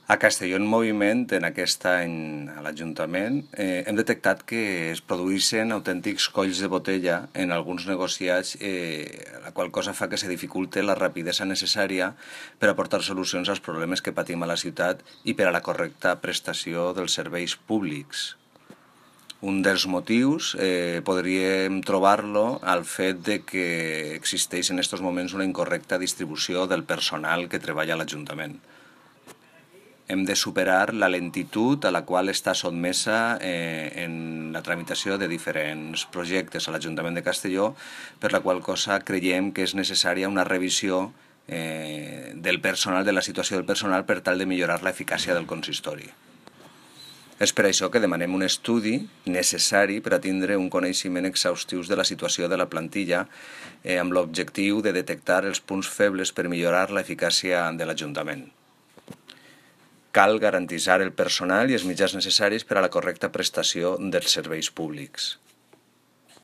A Castelló en Moviment, en aquest any a l'Ajuntament, hem detectat que es produeixen autèntics colls de botella en alguns negociats, la qual cosa fa que se dificulte la rapidesa necessària per aportar solucions als problemes que patim a la ciutat i per a la correcta prestació dels serveis públics. Un dels motius podríem trobar-lo al fet de que existeix en aquests moments una incorrecta distribució del personal que treballa a l'Ajuntament. Hem de superar la lentitud a la qual està sotmesa en la tramitació de diferents projectes a l'Ajuntament de Castelló, per la qual cosa creiem que és necessària una revisió del personal, de la situació del personal, per tal de millorar l'eficàcia del consistori. És per això que demanem un estudi necessari per a tindre un coneixement exhaustiu de la situació de la plantilla amb l'objectiu de detectar els punts febles per millorar l'eficàcia de l'Ajuntament. Cal garantir el personal i els mitjans necessaris per a la correcta prestació dels serveis públics.